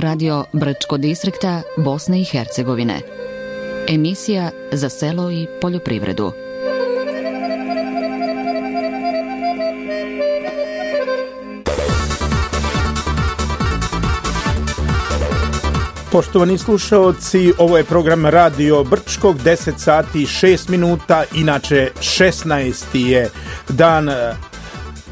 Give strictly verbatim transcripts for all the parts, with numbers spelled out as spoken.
Radio Brčko distrikta Bosne i Hercegovine. Emisija za selo i poljoprivredu. Poštovani slušaoci, ovo je program Radio Brčkog, deset sati i šest minuta, inače šesnaesti je dan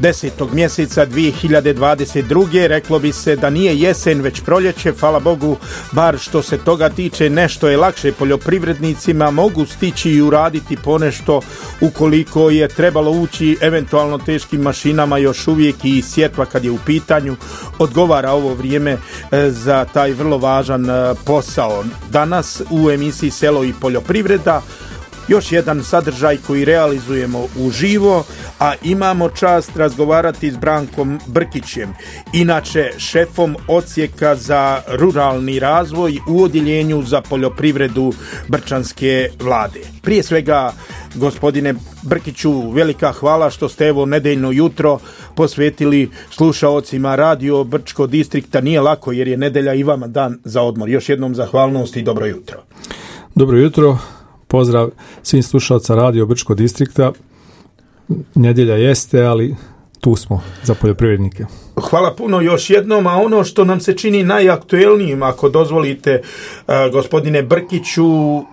desetog mjeseca dvije hiljade dvadeset druge. Reklo bi se da nije jesen već proljeće, hvala Bogu, bar što se toga tiče nešto je lakše poljoprivrednicima, mogu stići i uraditi ponešto ukoliko je trebalo ući eventualno teškim mašinama, još uvijek i sjetva kad je u pitanju, odgovara ovo vrijeme za taj vrlo važan posao. Danas u emisiji Selo i poljoprivreda još jedan sadržaj koji realizujemo uživo, a imamo čast razgovarati s Brankom Brkićem, inače šefom odsjeka za ruralni razvoj u odjeljenju za poljoprivredu Brčanske vlade. Prije svega, gospodine Brkiću, velika hvala što ste evo nedeljno jutro posvetili slušaocima Radio Brčko distrikta. Nije lako jer je nedelja i vama dan za odmor. Još jednom zahvalnost i dobro jutro. Dobro jutro. Pozdrav svim slušalca Radio Brčko distrikta. Nedjelja jeste, ali tu smo za poljoprivrednike. Hvala puno još jednom, a ono što nam se čini najaktuelnijim, ako dozvolite, uh, gospodine Brkiću,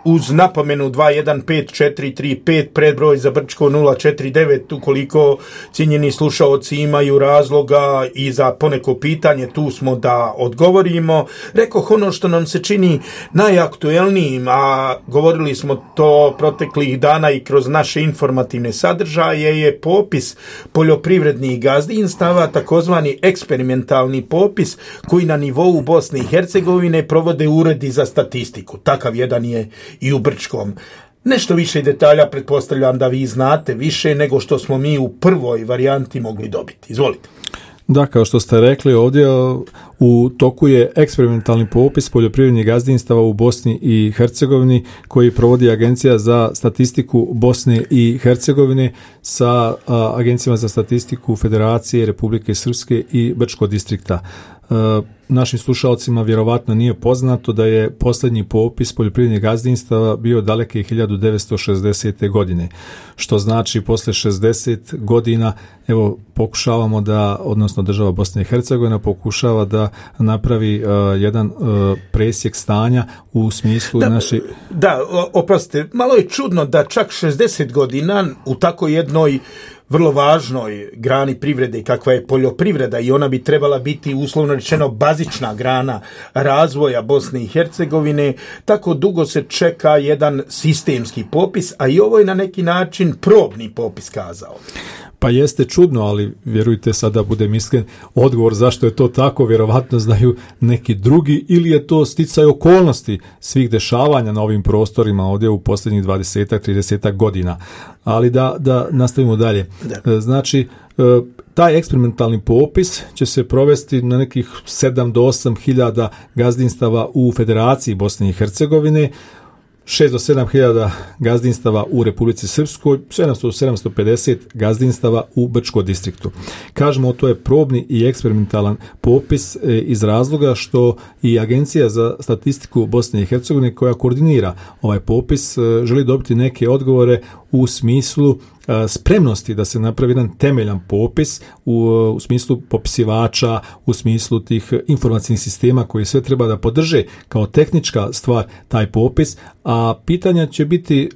uz napomenu dva jedan pet četiri tri pet, predbroj za Brčko nula četiri devet, ukoliko cijenjeni slušaoci imaju razloga i za poneko pitanje, tu smo da odgovorimo. Rekoh ono što nam se čini najaktuelnijim, a govorili smo to proteklih dana i kroz naše informativne sadržaje, je popis poljoprivrednih gazdinstava, takozvani eksperimentalni popis koji na nivou Bosne i Hercegovine provode uredi za statistiku. Takav jedan je i u Brčkom. Nešto više detalja pretpostavljam da vi znate više nego što smo mi u prvoj varijanti mogli dobiti. Izvolite. Da, kao što ste rekli, ovdje u toku je eksperimentalni popis poljoprivrednih gazdinstava u Bosni i Hercegovini koji provodi Agencija za statistiku Bosne i Hercegovine sa a, Agencijama za statistiku Federacije Republike Srpske i Brčkog distrikta. A, našim slušalcima vjerovatno nije poznato da je posljednji popis poljoprivrednih gazdinstava bio daleke hiljadu devetsto šezdesete. godine, što znači posle šezdeset godina evo pokušavamo da, odnosno država Bosne i Hercegovina pokušava da napravi uh, jedan uh, presjek stanja u smislu da, naše... Da, oprostite, malo je čudno da čak šezdeset godina u tako jednoj vrlo važnoj grani privrede kakva je poljoprivreda i ona bi trebala biti uslovno rečeno bazična grana razvoja Bosne i Hercegovine, tako dugo se čeka jedan sistemski popis, a i ovo je na neki način probni popis kazao. Pa jeste čudno, ali vjerujte, sada budem iskren, odgovor zašto je to tako vjerovatno znaju neki drugi, ili je to sticaj okolnosti svih dešavanja na ovim prostorima ovdje u posljednjih dvadeset trideset godina. Ali da, da nastavimo dalje. Da. Znači, taj eksperimentalni popis će se provesti na nekih sedam do osam hiljada gazdinstava u Federaciji Bosne i Hercegovine, šest do sedam hiljada gazdinstava u Republici Srpskoj, sedamsto do sedamsto pedeset gazdinstava u Brčkom distriktu. Kažemo, to je probni i eksperimentalan popis iz razloga što i Agencija za statistiku Bosne i Hercegovine koja koordinira ovaj popis želi dobiti neke odgovore u smislu spremnosti da se napravi jedan temeljan popis u, u smislu popisivača, u smislu tih informacijnih sistema koji sve treba da podrže kao tehnička stvar taj popis, a pitanja će biti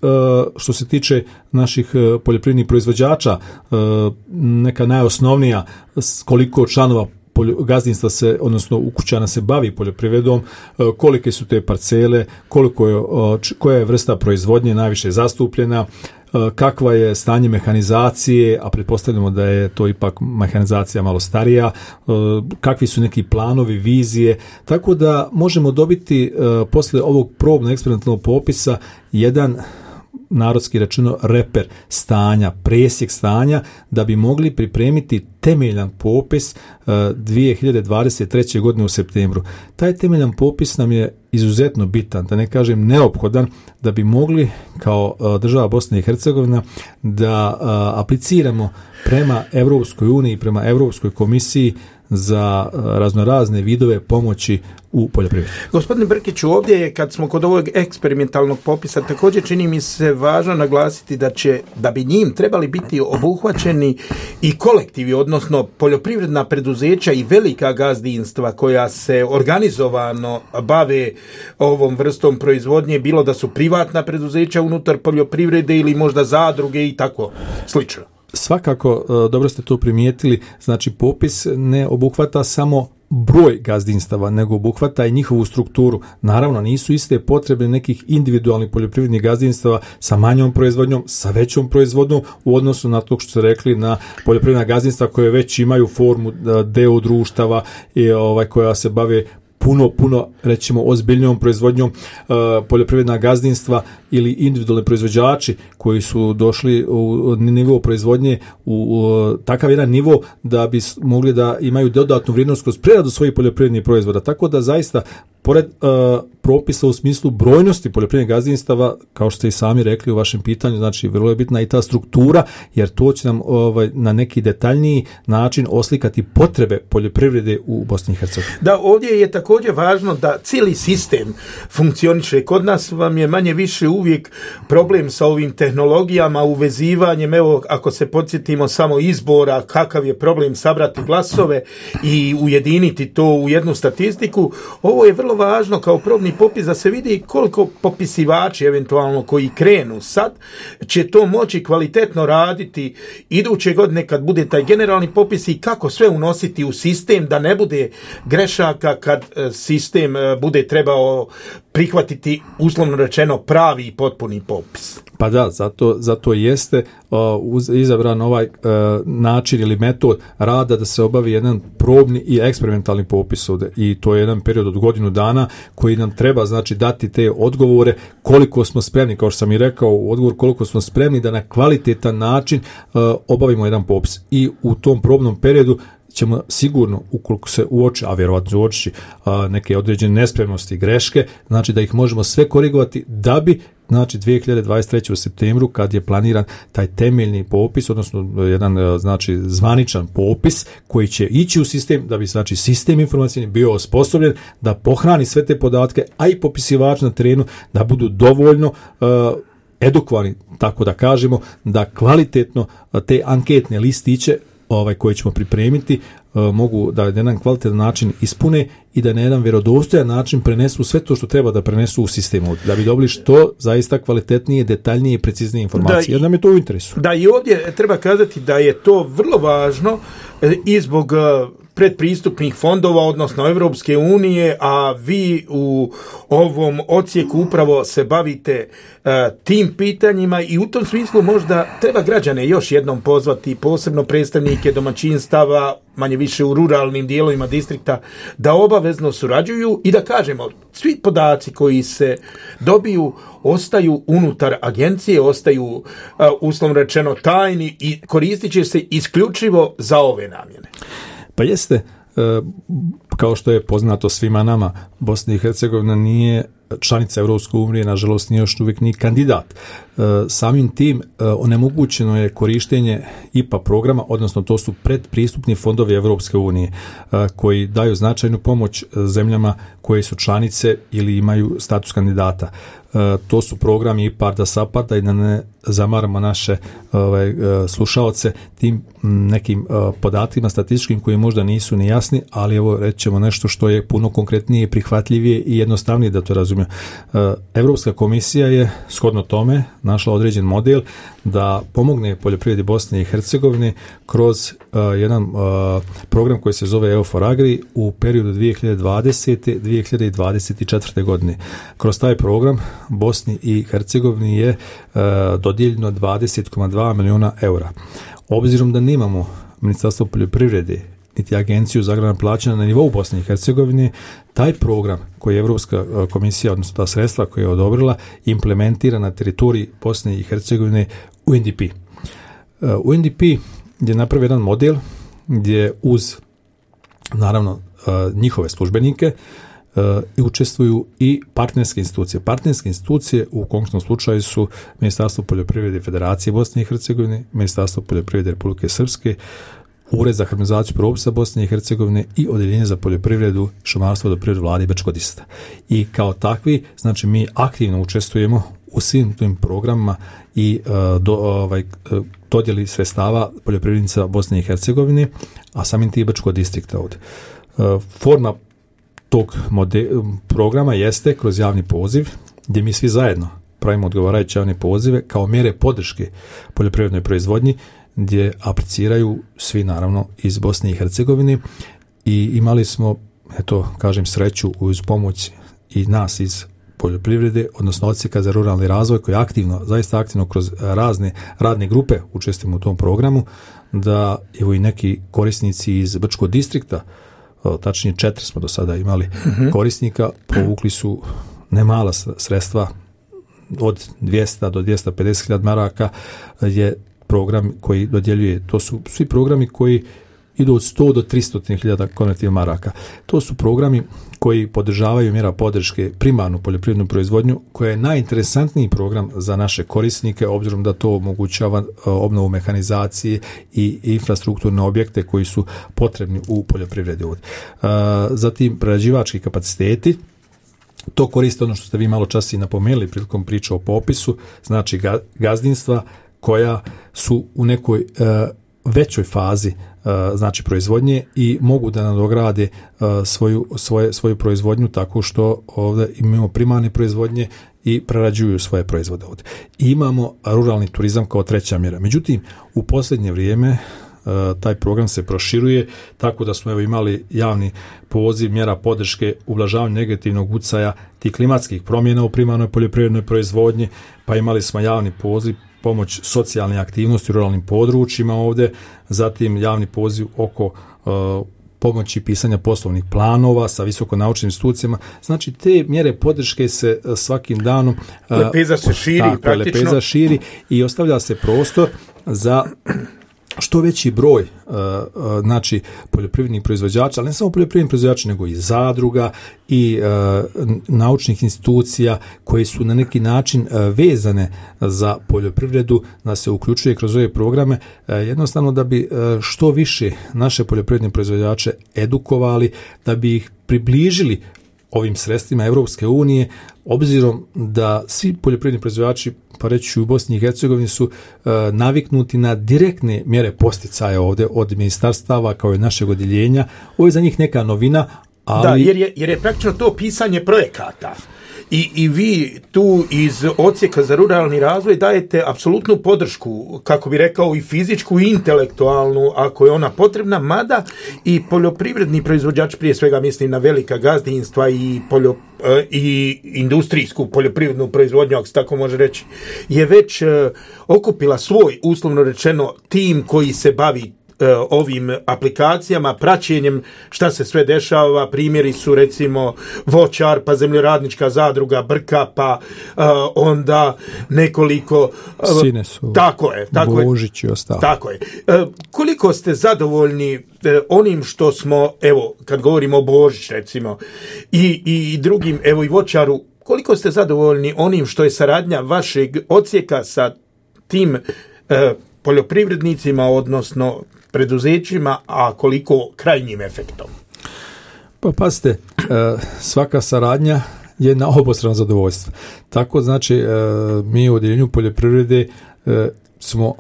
što se tiče naših poljoprivrednih proizvođača neka najosnovnija, koliko članova gazdinstva se, odnosno ukućana se bavi poljoprivredom, kolike su te parcele, koliko je, koja je vrsta proizvodnje najviše zastupljena, kakva je stanje mehanizacije, a pretpostavljamo da je to ipak mehanizacija malo starija, kakvi su neki planovi, vizije, tako da možemo dobiti posle ovog probnog eksperimentalnog popisa jedan, narodski rečeno, reper stanja, presjek stanja, da bi mogli pripremiti temeljan popis uh, dvije hiljade dvadeset treće. godine u septembru. Taj temeljan popis nam je izuzetno bitan, da ne kažem neophodan, da bi mogli kao uh, država Bosna i Hercegovina da uh, apliciramo prema Europskoj uniji, prema Europskoj komisiji za raznorazne vidove pomoći u poljoprivredi. Gospodine Brkiću, ovdje je, kad smo kod ovog eksperimentalnog popisa, također čini mi se važno naglasiti da će, da bi njim trebali biti obuhvaćeni i kolektivi, odnosno poljoprivredna preduzeća i velika gazdinstva koja se organizovano bave ovom vrstom proizvodnje, bilo da su privatna preduzeća unutar poljoprivrede ili možda zadruge i tako slično. Svakako, dobro ste to primijetili, znači popis ne obuhvata samo broj gazdinstava, nego obuhvata i njihovu strukturu. Naravno, nisu iste potrebe nekih individualnih poljoprivrednih gazdinstava sa manjom proizvodnjom, sa većom proizvodnjom u odnosu na to što ste rekli na poljoprivredna gazdinstva koje već imaju formu deo društava i ovaj koja se bave puno, puno, rećemo, ozbiljnijom proizvodnjom, uh, poljoprivredna gazdinstva ili individualni proizvođači koji su došli u nivo proizvodnje u, u takav jedan nivo da bi mogli da imaju dodatnu vrijednost kroz preradu svojih poljoprivrednih proizvoda. Tako da zaista, pored uh, propisa u smislu brojnosti poljoprivrednih gazdinstava, kao što ste i sami rekli u vašem pitanju, znači vrlo je bitna i ta struktura, jer to će nam ovaj, na neki detaljniji način oslikati potrebe poljoprivrede u Bosni i Hercegovini. Da, ovdje je također važno da cijeli sistem funkcioniše. Kod nas vam je manje više uvijek problem sa ovim tehnologijama, uvezivanjem, evo ako se podsjetimo samo izbora, kakav je problem sabrati glasove i ujediniti to u jednu statistiku. Ovo je vrlo važno kao probni popis da se vidi koliko popisivači eventualno koji krenu sad će to moći kvalitetno raditi iduće godine kad bude taj generalni popis i kako sve unositi u sistem da ne bude grešaka kad sistem bude trebao prihvatiti, uslovno rečeno, pravi i potpuni popis. Pa da, zato, zato jeste uh, izabran ovaj uh, način ili metod rada da se obavi jedan probni i eksperimentalni popis ovdje. I to je jedan period od godinu dana koji nam treba, znači, dati te odgovore koliko smo spremni, kao što sam i rekao, odgovor koliko smo spremni da na kvalitetan način uh, obavimo jedan popis. I u tom probnom periodu ćemo sigurno, ukoliko se uoči, a vjerovatno uoči neke određene nespremnosti i greške, znači da ih možemo sve korigovati da bi, znači, dvije hiljade dvadeset treće u septembru, kad je planiran taj temeljni popis, odnosno jedan, znači, zvaničan popis koji će ići u sistem, da bi, znači, sistem informacijni bio osposobljen da pohrani sve te podatke, a i popisivači na terenu da budu dovoljno uh, edukovani, tako da kažemo, da kvalitetno te anketne listiće ovaj, koje ćemo pripremiti uh, mogu da na jedan kvalitetan način ispune i da na jedan vjerodostojan način prenesu sve to što treba da prenesu u sistemu, da bi dobili što zaista kvalitetnije, detaljnije i preciznije informacije, jer nam je to u interesu. Da, i ovdje treba kazati da je to vrlo važno i zbog predpristupnih fondova, odnosno Evropske unije, a vi u ovom odsjeku upravo se bavite uh, tim pitanjima i u tom smislu možda treba građane još jednom pozvati, posebno predstavnike domaćinstava, manje više u ruralnim dijelovima distrikta, da obavezno surađuju i da kažemo, svi podaci koji se dobiju ostaju unutar agencije, ostaju uh, uslovno rečeno tajni i koristit će se isključivo za ove namjene. Pa jeste, kao što je poznato svima nama, Bosna i Hercegovina nije članica Evropske unije, nažalost nije još uvijek ni kandidat. Samim tim onemogućeno je korištenje I P A programa, odnosno to su predpristupni fondovi Evropske unije koji daju značajnu pomoć zemljama koje su članice ili imaju status kandidata. To su programi IPARD-a, SAPARD-a i da ne zamaramo naše ovaj, slušaoce tim nekim podatima statističkim koji možda nisu ni jasni, ali evo reći ćemo nešto što je puno konkretnije, prihvatljivije i jednostavnije da to razumiju. Evropska komisija je shodno tome našla određen model da pomogne poljoprivredi Bosne i Hercegovine kroz uh, jedan uh, program koji se zove E U for Agri u periodu dvije hiljade dvadesete do dvije hiljade dvadeset četvrte. godine. Kroz taj program Bosni i Hercegovini je uh, dodijeljeno dvadeset zarez dva milijuna eura. Obzirom da nemamo Ministarstvo poljoprivrede niti agenciju za agrarna plaćanja na nivou Bosne i Hercegovine, taj program koji je Evropska komisija, odnosno ta sredstva koje je odobrila, implementira na teritoriji Bosne i Hercegovine U N D P. U N D P je napravio jedan model gdje uz, naravno, njihove službenike i učestvuju i partnerske institucije. Partnerske institucije u konkretnom slučaju su Ministarstvo poljoprivrede Federacije Bosne i Hercegovine, Ministarstvo poljoprivrede Republike Srpske, Ured za harmonizaciju propisa Bosne i Hercegovine i Odjeljenje za poljoprivredu, šumarstvo, vodoprivredu Vlade Brčkog distrikta. I kao takvi, znači mi aktivno učestvujemo u svim tim programima i uh, do, ovaj, dodjeli sredstava poljoprivrednica Bosne i Hercegovine, a samim tim Brčkog distrikta ovdje. Uh, forma tog mode, programa jeste kroz javni poziv, gdje mi svi zajedno pravimo odgovarajuće javne pozive kao mjere podrške poljoprivrednoj proizvodnji, gdje apliciraju svi naravno iz Bosne i Hercegovine i imali smo, eto, kažem, sreću uz pomoć i nas iz poljoprivrede, odnosno odsjeka za ruralni razvoj koji aktivno, zaista aktivno kroz razne radne grupe učestvujemo u tom programu, da evo i neki korisnici iz Brčkog distrikta, tačnije četiri smo do sada imali mm-hmm. korisnika, povukli su nemala sredstva od dvjesto do dvjesto pedeset hiljada maraka je program koji dodjeljuje. To su svi programi koji idu od sto do tristo hiljada konvertibilnih maraka. To su programi koji podržavaju mjera podrške primarnu poljoprivrednu proizvodnju, koja je najinteresantniji program za naše korisnike, obzirom da to omogućava obnovu mehanizacije i infrastrukturne objekte koji su potrebni u poljoprivredi. Zatim prerađivački kapaciteti. To koriste ono što ste vi malo čas i napomenuli prilikom priče o popisu, znači gazdinstva koja su u nekoj uh, većoj fazi uh, znači proizvodnje i mogu da nadograde uh, svoju, svoje, svoju proizvodnju tako što ovdje imamo primarne proizvodnje i prerađuju svoje proizvode ovdje. I imamo ruralni turizam kao treća mjera. Međutim, u posljednje vrijeme uh, taj program se proširuje tako da smo evo imali javni poziv mjera podrške ublažavanju negativnog utjecaja tih klimatskih promjena u primarnoj poljoprivrednoj proizvodnji, pa imali smo javni poziv pomoć socijalne aktivnosti u ruralnim područjima ovdje, zatim javni poziv oko uh, pomoći pisanja poslovnih planova sa visokonaučnim institucijama. Znači, te mjere podrške se uh, svakim danom uh, lepeza se širi tako, praktično. Lepeza širi i ostavlja se prostor za što veći broj uh, uh, znači poljoprivrednih proizvođača, ali ne samo poljoprivrednih proizvođača, nego i zadruga i uh, naučnih institucija koji su na neki način uh, vezane za poljoprivredu, da se uključuje kroz ove programe, uh, jednostavno da bi uh, što više naše poljoprivredne proizvođače edukovali, da bi ih približili ovim sredstvima Europske unije, obzirom da svi poljoprivredni proizvođači, pa reći u Bosni i Hercegovini, su e, naviknuti na direktne mjere posticaja ovdje od ministarstava kao i našeg odjeljenja. Ovo je za njih neka novina, ali... Da, jer je, jer je praktično to pisanje projekata. I, I vi tu iz odsjeka za ruralni razvoj dajete apsolutnu podršku, kako bi rekao, i fizičku i intelektualnu, ako je ona potrebna, mada i poljoprivredni proizvođač, prije svega mislim na velika gazdinstva i, poljo, i industrijsku poljoprivrednu proizvodnju, ako se tako može reći, je već okupila svoj, uslovno rečeno, tim koji se bavi ovim aplikacijama, praćenjem šta se sve dešava. Primjeri su recimo voćar, pa zemljoradnička zadruga Brka, pa uh, onda nekoliko uh, Sine su tako je, tako Božić i ostalo. Tako je. Uh, koliko ste zadovoljni uh, onim što smo, evo, kad govorimo o Božić recimo i, i drugim, evo i voćaru, koliko ste zadovoljni onim što je saradnja vašeg odsjeka sa tim uh, poljoprivrednicima, odnosno preduzećima, a koliko krajnjim efektom? Pa pazite, svaka saradnja je na obostrano zadovoljstvo. Tako znači, mi u odjeljenju poljoprivrede smo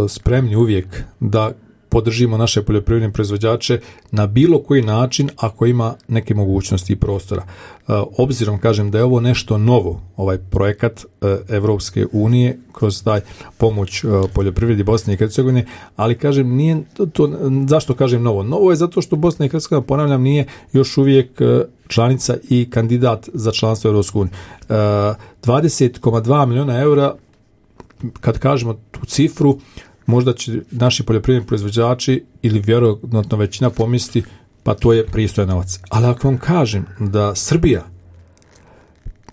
spremni uvijek da podržimo naše poljoprivredne proizvođače na bilo koji način ako ima neke mogućnosti i prostora. Obzirom, kažem, da je ovo nešto novo, ovaj projekat Evropske unije kroz taj pomoć poljoprivredi Bosne i Hercegovine, ali kažem, nije to, to, zašto kažem novo? Novo je zato što Bosna i Hercegovina, ponavljam, nije još uvijek članica i kandidat za članstvo Evropske unije. dvadeset zarez dva milijuna eura, kad kažemo tu cifru, možda će naši poljoprivredni proizvođači ili vjerojatno većina pomisli, pa to je pristojan novac. Ali ako vam kažem da Srbija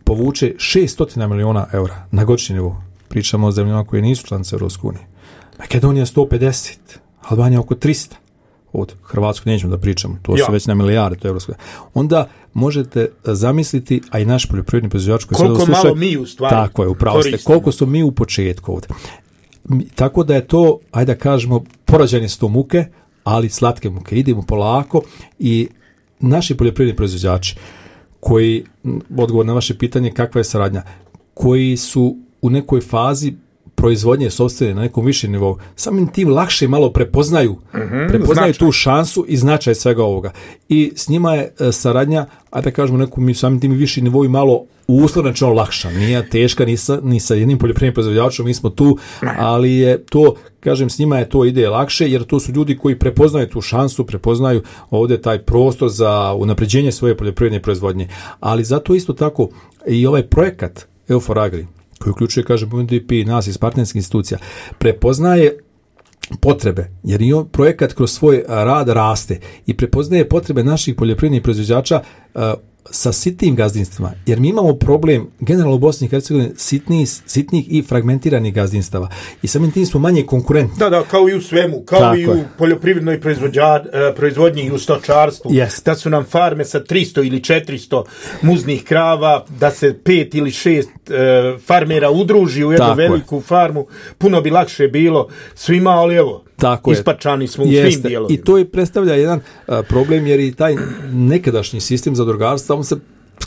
povuče šest milijuna eura na godišnji nivou, pričamo o zemljama koje nisu članice Europske unije, Makedonija sto pedeset, Albanija oko tristo, od Hrvatskog nećemo da pričamo, to ja. su već na milijarde, to je Europska. Onda možete zamisliti, a i naš poljoprivredni proizvođač koji koliko sada malo mi u stvari tako je, upravo ste, koliko su mi u početku ovdje. Tako da je to, ajde da kažemo, porađanje sto muke, ali slatke muke. Idemo polako i naši poljoprivredni proizvođači koji, odgovor na vaše pitanje kakva je saradnja, koji su u nekoj fazi proizvodnje sopstvene na nekom višem nivou, samim tim lakše malo prepoznaju, mm-hmm, prepoznaju tu šansu i značaj svega ovoga. I s njima je e, saradnja, a da kažemo nekom samim tim viši nivou i malo uslovno lakša. Nije teška ni sa, ni sa jednim poljoprivrednim proizvođačom, mi smo tu, ali je to, kažem, s njima je to ide lakše, jer to su ljudi koji prepoznaju tu šansu, prepoznaju ovdje taj prostor za unapređenje svoje poljoprivredne proizvodnje. Ali zato isto tako i ovaj projekat EUFOR Agri, koji uključuje, kažem, U N D P, nas iz partnerskih institucija, prepoznaje potrebe, jer i on projekat kroz svoj rad raste i prepoznaje potrebe naših poljoprivrednih proizvođača uh, sa sitnim gazdinstvima, jer mi imamo problem generalno u Bosni i Hercegovini sitnih, sitnih i fragmentiranih gazdinstava i samim tim smo manje konkurentni. Da, da, kao i u svemu, kao Tako i u je. poljoprivrednoj proizvodnji i u stočarstvu, yes. da su nam farme sa tristo ili četiristo muznih krava, da se pet ili šest uh, farmera udruži u jednu Tako veliku je. farmu, puno bi lakše bilo svima, ali evo, Tako ispačani smo u Jeste. svim dijelovima. I to je predstavlja jedan uh, problem, jer i taj nekadašnji sistem zadrugarstva, on se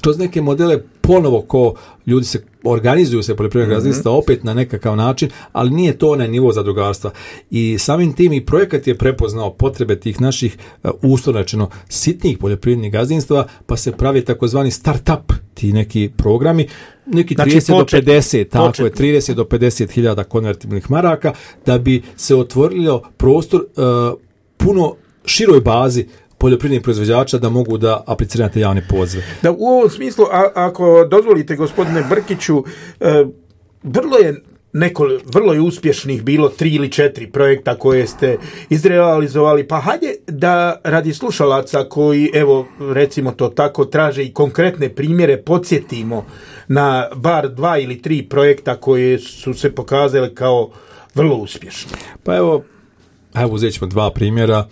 kroz neke modele ponovo ko ljudi se organizuju se poljoprivrednog mm-hmm. gazdinstva opet na nekakav način, ali nije to onaj nivo zadrugarstva. I samim tim i projekat je prepoznao potrebe tih naših uh, uslovno rečeno sitnih poljoprivrednih gazdinstva, pa se pravi takozvani start-up, ti neki programi, neki znači, trideset počet, do pedeset, tako početni. je, trideset do pedeset hiljada konvertibilnih maraka, da bi se otvorio prostor uh, puno široj bazi poljoprivrednih proizvođača da mogu da apliciraju te javne pozive. Da, u ovom smislu, a, ako dozvolite, gospodine Brkiću, e, vrlo je neko, vrlo je uspješnih bilo tri ili četiri projekta koje ste izrealizovali, pa hajde da radi slušalaca koji, evo, recimo to tako, traže i konkretne primjere, podsjetimo na bar dva ili tri projekta koje su se pokazali kao vrlo uspješni. Pa evo, evo uzet ćemo dva primjera.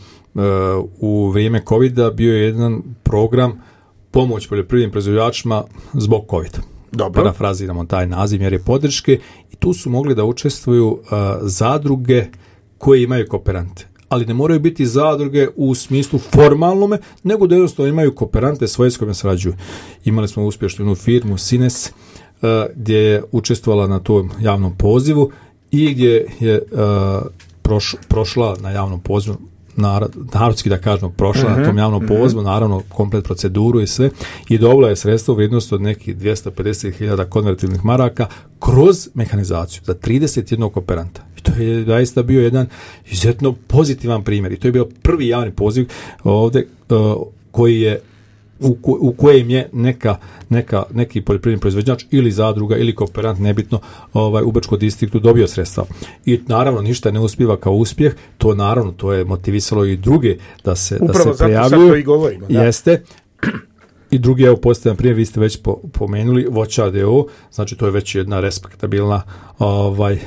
U vrijeme covida bio je jedan program pomoć poljoprivrednim proizvođačima zbog covida. Dobro. Parafraziramo taj naziv mjere podrške i tu su mogli da učestvuju uh, zadruge koje imaju kooperante. Ali ne moraju biti zadruge u smislu formalnome, nego da jednostavno imaju kooperante svoje s kojima sarađuju. Imali smo uspješnu jednu firmu Sines uh, gdje je učestvovala na tom javnom pozivu i gdje je uh, proš, prošla na javnom pozivu, narodski da kažemo, prošla uh-huh, na tom javnom pozivu, uh-huh. naravno komplet proceduru i sve, i dobila je sredstvo u vrijednosti od nekih dvjesto pedeset hiljada konvertibilnih maraka kroz mehanizaciju za trideset jednog kooperanta. I to je zaista bio jedan izuzetno pozitivan primjer. I to je bio prvi javni poziv ovdje uh, koji je U, ko, u kojem je neka, neka, neki poljoprivredni proizvođač ili zadruga ili kooperant, nebitno, ovaj, u Brčkom distriktu dobio sredstva. I naravno ništa ne uspjeva kao uspjeh, to naravno to je motivisalo i druge da se, da se prijavljuju. To i govorimo, da. Jeste. I drugi, evo postavljam primjer, vi ste već po, pomenuli, Voćar d o o, znači to je već jedna respektabilna, ovaj,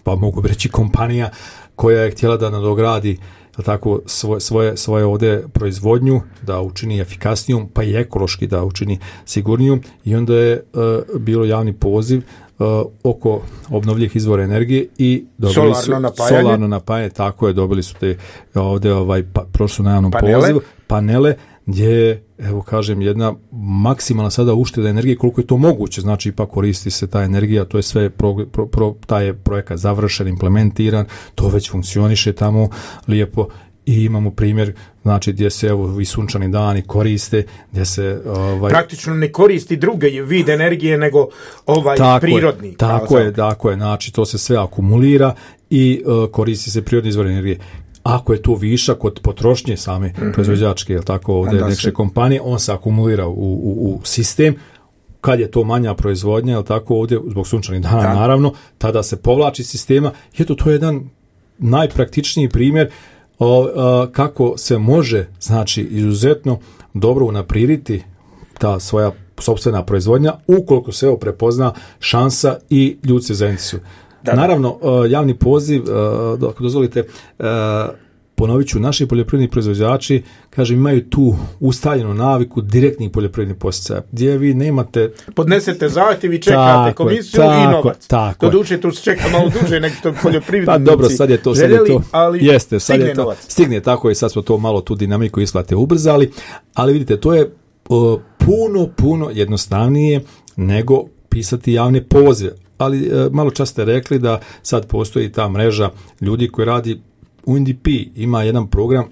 pa mogu reći kompanija koja je htjela da nadogradi tako svoje, svoje, svoje ovdje proizvodnju, da učini efikasnijom, pa i ekološki da učini sigurnijom, i onda je uh, bilo javni poziv uh, oko obnovljivih izvora energije i dobili solarno su napajanje. solarno napajanje, tako je, dobili su te ovdje ovaj, pa, prošlo na javnom panele. pozivu, panele, gdje je, evo kažem, jedna maksimalna sada ušteda energije koliko je to moguće, znači ipak koristi se ta energija, to je sve, pro, pro, pro, taj je projekat završen, implementiran, to već funkcioniše tamo lijepo i imamo primjer, znači gdje se evo i sunčani dani koriste, gdje se ovaj, praktično ne koristi druge vid energije nego ovaj tako prirodni. Je, tako je, tako je, znači to se sve akumulira i uh, koristi se prirodni izvor energije. Ako je to višak od potrošnje same mm-hmm. proizvođačke, jel tako, ovdje neke se... kompanije, on se akumulira u, u, u sistem. Kad je to manja proizvodnja, jel tako, ovdje zbog sunčanih dana, da. naravno, tada se povlači sistema. I eto, to je jedan najpraktičniji primjer o, a, kako se može, znači, izuzetno dobro unaprijediti ta svoja sopstvena proizvodnja, ukoliko se evo prepozna šansa i ljudi se zainteresuju. Da, Naravno, javni poziv, ako dozvolite, ponovit ću, naši poljoprivredni proizvođači, kažem, imaju tu ustaljenu naviku direktnih poljoprivrednih poticaja, gdje vi nemate... Podnesete zahtjev i čekate tako, komisiju tako, i novac. Tako, to duže, tu se čeka malo duže nego to poljoprivrednici. Pa dobro, sad je to, sad je to, ali jeste, sad stigne je to, novac. Stigne tako i sad smo to malo tu dinamiku isplate ubrzali, ali vidite, to je o, puno, puno jednostavnije nego pisati javne pozive. Ali e, malo čas ste rekli da sad postoji ta mreža ljudi koji radi U N D P, ima jedan program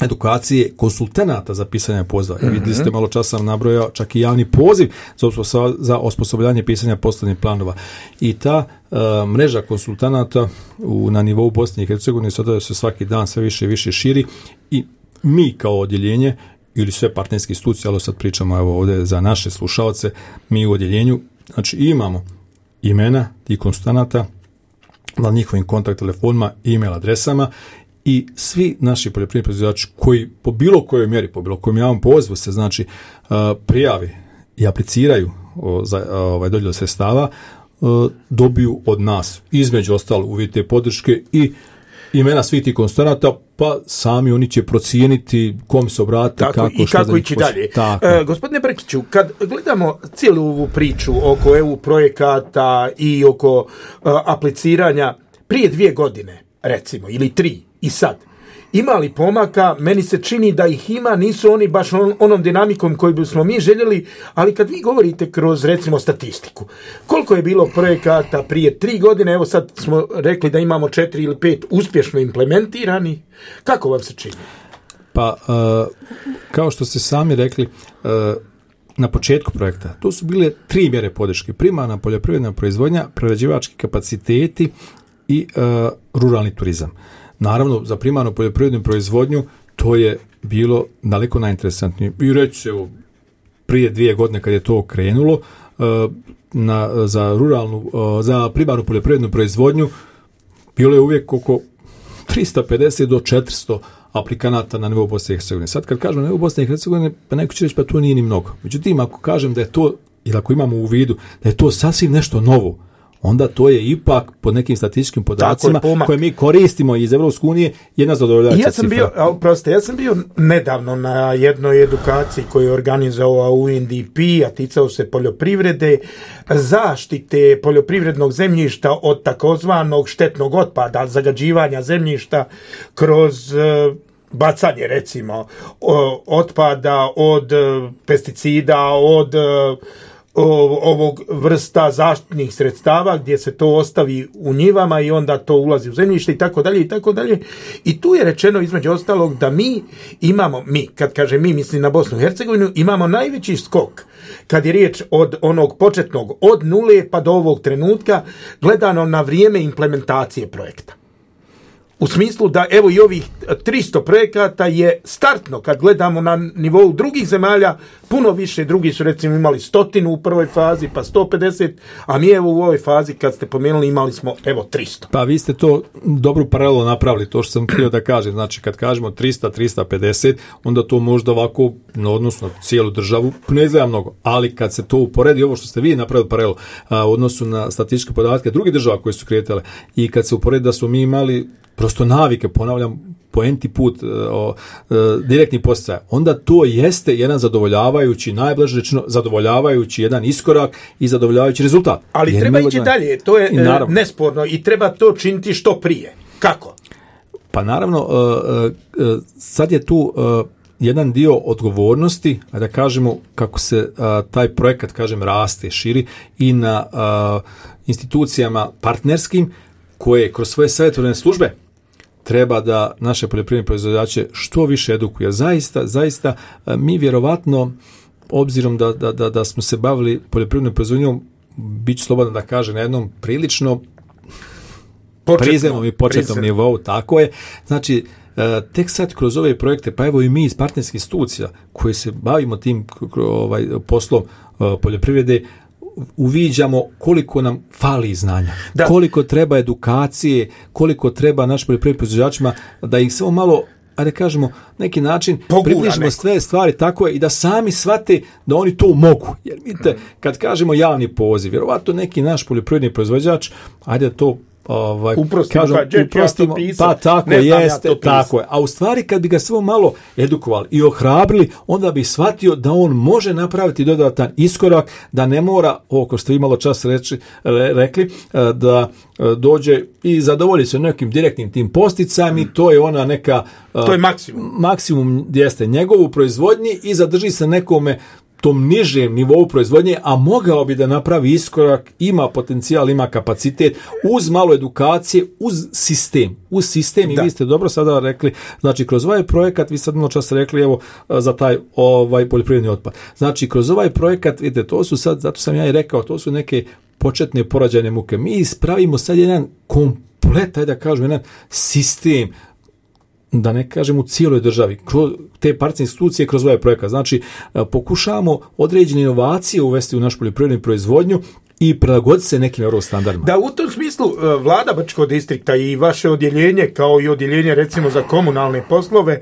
edukacije konsultanata za pisanje poziva. Mm-hmm. Vidite ste, malo čas sam nabrojao čak i javni poziv za, za osposobljanje pisanja poslovnih planova. I ta e, mreža konsultanata u, na nivou Bosne i Hercegovine sada se svaki dan sve više i više širi i mi kao odjeljenje ili sve partnerske institucije, ali sad pričamo evo ovdje za naše slušalce, mi u odjeljenju, znači imamo imena tih konsultanata na njihovim kontakt telefonima, e-mail adresama i svi naši poljoprivredni proizvođači koji po bilo kojoj mjeri, po bilo kojem javnom pozivu se znači uh, prijavi i apliciraju o, za uh, ovaj dodjelu sredstava, uh, dobiju od nas između ostalo uvjete podrške i imena svih tih konsultanata, pa sami oni će procijeniti kom se obratiti, kako, i kako ići dalje. E, gospodine Brkiću, kad gledamo cijelu ovu priču oko E U projekata i oko uh, apliciranja prije dvije godine, recimo, ili tri, i sad, ima li pomaka? Meni se čini da ih ima, nisu oni baš on, onom dinamikom koju bismo mi željeli, ali kad vi govorite kroz, recimo, statistiku, koliko je bilo projekata prije tri godine, evo sad smo rekli da imamo četiri ili pet uspješno implementirani, kako vam se čini? Pa, uh, kao što ste sami rekli, uh, na početku projekta, to su bile tri mjere podrške, primarna poljoprivredna proizvodnja, prerađivački kapaciteti i uh, ruralni turizam. Naravno, za primarnu poljoprivrednu proizvodnju to je bilo daleko najinteresantnije. I reći se, evo, prije dvije godine kad je to krenulo, na, za ruralnu, za primarnu poljoprivrednu proizvodnju bilo je uvijek oko tristo pedeset do četiristo aplikanata na nivou Bosne i Hercegovine. Sad kad kažem na nivou Bosne i Hercegovine, pa neko će reći pa to nije ni mnogo. Međutim, ako kažem da je to, ili ako imamo u vidu da je to sasvim nešto novo, onda to je ipak po nekim statističkim podacima koje mi koristimo iz Evropske unije jedna zadovoljavajuća ja sam cifra. Bio, proste, ja sam bio nedavno na jednoj edukaciji koju je organizovao U N D P, a ticao se poljoprivrede, zaštite poljoprivrednog zemljišta od takozvanog štetnog otpada, zagađivanja zemljišta kroz bacanje, recimo, otpada od pesticida, od ovog vrsta zaštitnih sredstava gdje se to ostavi u njivama i onda to ulazi u zemljište i tako dalje i tako dalje. I tu je rečeno između ostalog da mi imamo, mi, kad kažem mi, mislim na Bosnu i Hercegovinu, imamo najveći skok kad je riječ od onog početnog, od nule pa do ovog trenutka, gledano na vrijeme implementacije projekta. U smislu da evo i ovih tristo projekata je startno, kad gledamo na nivou drugih zemalja, puno više, drugi su recimo imali stotinu u prvoj fazi, pa sto pedeset, a mi evo u ovoj fazi kad ste pomenuli imali smo evo tristo. Pa vi ste to dobru paralelu napravili, to što sam htio da kažem, znači kad kažemo tristo do tristo pedeset, onda to možda ovako, odnosno cijelu državu, ne izgleda mnogo, ali kad se to uporedi, ovo što ste vi napravili paralelu a, u odnosu na statističke podatke drugih država koje su kretale i kad se uporedi da smo mi imali prosto navike, ponavljam, po enti put o, o, direktni podsticaj, onda to jeste jedan zadovoljavajući, najblaže rečeno, zadovoljavajući jedan iskorak i zadovoljavajući rezultat. Ali jer treba ići dalje, to je naravno nesporno i treba to činiti što prije. Kako? Pa naravno, uh, uh, sad je tu uh, jedan dio odgovornosti, a da kažemo kako se uh, taj projekat, kažem, raste, širi i na uh, institucijama partnerskim koje kroz svoje savjetodavne službe treba da naše poljoprivredne proizvođače što više edukuje. Zaista, zaista, mi vjerovatno, obzirom da, da, da, da smo se bavili poljoprivrednom proizvodnjom, bit ću slobodan da kaže na jednom prilično prizemnom i početnom nivou, tako je. Znači, tek sad kroz ove projekte, pa evo i mi iz partnerskih institucija koji se bavimo tim ovaj, poslom poljoprivrede, uviđamo koliko nam fali znanja, da. Koliko treba edukacije, koliko treba našim poljoprivrednim proizvođačima da ih samo malo, ajde kažemo, neki način približimo sve stvari, tako je, i da sami shvate da oni to mogu. Jer vidite, kad kažemo javni poziv, vjerovatno neki naš poljoprivredni proizvođač, ajde to ovaj, uprostimo, kažem, pa, uprostimo, ja pisam, pa tako jeste, ja tako je. A u stvari kad bi ga samo malo edukovali i ohrabrili, onda bi shvatio da on može napraviti dodatan iskorak, da ne mora, ovo ko ste vi malo čas reči, re, rekli, da dođe i zadovolji se nekim direktnim tim posticajima i to je ona neka... To je maksimum. Maksimum jeste njegovu proizvodnji i zadrži se nekome tom nižem nivou proizvodnje, a mogao bi da napravi iskorak, ima potencijal, ima kapacitet, uz malo edukacije, uz sistem. Uz sistem, da. I vi ste dobro sada rekli, znači kroz ovaj projekat, vi sad malo čas rekli, evo, za taj ovaj poljoprivredni otpad. Znači, kroz ovaj projekat, vidite, to su sad, zato sam ja i rekao, to su neke početne porađajne muke. Mi ispravimo sad jedan komplet, ajde da kažem, jedan sistem, da ne kažem u cijeloj državi, kroz te partijske institucije kroz ovaj projekat. Znači, pokušavamo određene inovacije uvesti u našu poljoprivrednu proizvodnju i prilagoditi se nekim eurostandardima. Da, u tom smislu vlada Brčkog distrikta i vaše odjeljenje, kao i odjeljenje recimo za komunalne poslove,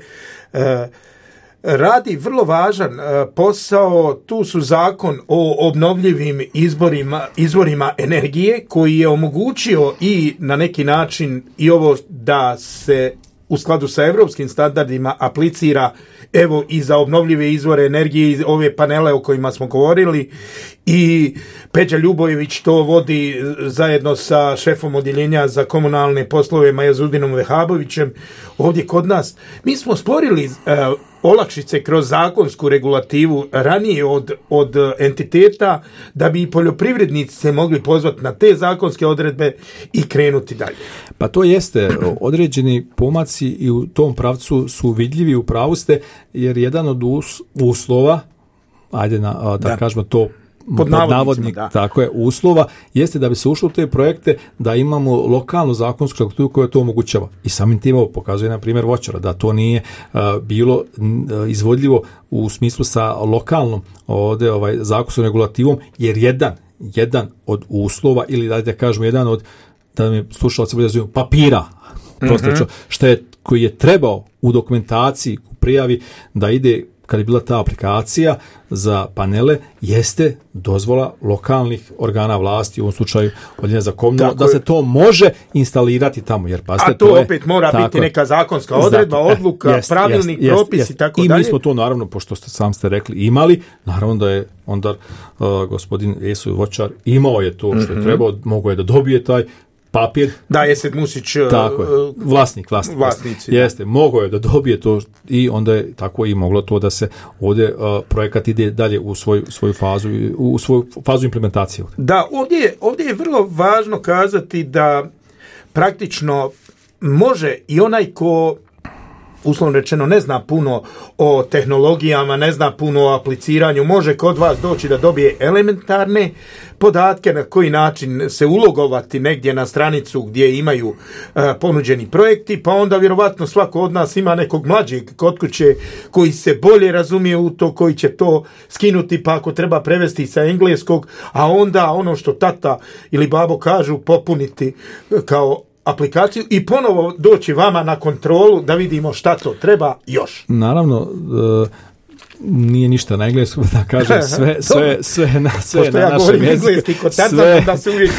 radi vrlo važan posao. Tu su zakon o obnovljivim izborima, izvorima energije koji je omogućio i na neki način i ovo da se u skladu sa evropskim standardima aplicira evo i za obnovljive izvore energije i ove panele o kojima smo govorili, i Peđa Ljubojević to vodi zajedno sa šefom odjeljenja za komunalne poslove Majazudinom Vehabovićem ovdje kod nas. Mi smo stvorili uh, olakšice kroz zakonsku regulativu ranije od, od entiteta da bi i poljoprivrednici se mogli pozvati na te zakonske odredbe i krenuti dalje. Pa to jeste, određeni pomaci i u tom pravcu su vidljivi, u pravu ste, jer jedan od us, uslova, ajde na, da, da kažemo to pod navodnik, da. Tako je, uslova, jeste da bi se ušlo u te projekte da imamo lokalnu zakonsku strukturu koja to omogućava. I samim tim ovo pokazuje na primjer Voćara, da to nije uh, bilo uh, izvodljivo u smislu sa lokalnom ovdje ovaj, zakonskom regulativom, jer jedan, jedan od uslova, ili da kažemo jedan od, da mi slušalci bude razumiju, papira, prosto mm-hmm. što je, koji je trebao u dokumentaciji, u prijavi da ide, kad je bila ta aplikacija za panele, jeste dozvola lokalnih organa vlasti, u ovom slučaju odjeljenja za komunalno, da se to može instalirati tamo. Jer, pasite, a to, to opet je, mora tako, biti neka zakonska odredba, zato, odluka, jest, pravilnik, jest, propis jest, i tako i dalje. I mi smo to, naravno, pošto ste sam ste rekli, imali, naravno da je onda uh, gospodin Esoj Voćar imao je to što je mm-hmm. trebao, mogao je da dobije taj papir. Da, Esed Musić, tako je, vlasnik, vlasnik, vlasnici. Jeste, mogao je da dobije to i onda je tako i moglo to da se ovdje uh, projekat ide dalje u svoju, svoju fazu, u svoju fazu implementacije. Da, ovdje je, ovdje je vrlo važno kazati da praktično može i onaj ko uslovno rečeno ne zna puno o tehnologijama, ne zna puno o apliciranju, može kod vas doći da dobije elementarne podatke na koji način se ulogovati negdje na stranicu gdje imaju uh, ponuđeni projekti, pa onda vjerovatno svako od nas ima nekog mlađeg kod kuće koji se bolje razumije u to, koji će to skinuti, pa ako treba prevesti sa engleskog, a onda ono što tata ili babo kažu popuniti kao aplikaciju i ponovo doći vama na kontrolu da vidimo šta to treba još. Naravno, uh, nije ništa na engleskom, da kažem, sve, sve, sve na, sve na ja našem jeziku. Sve, da se uvijek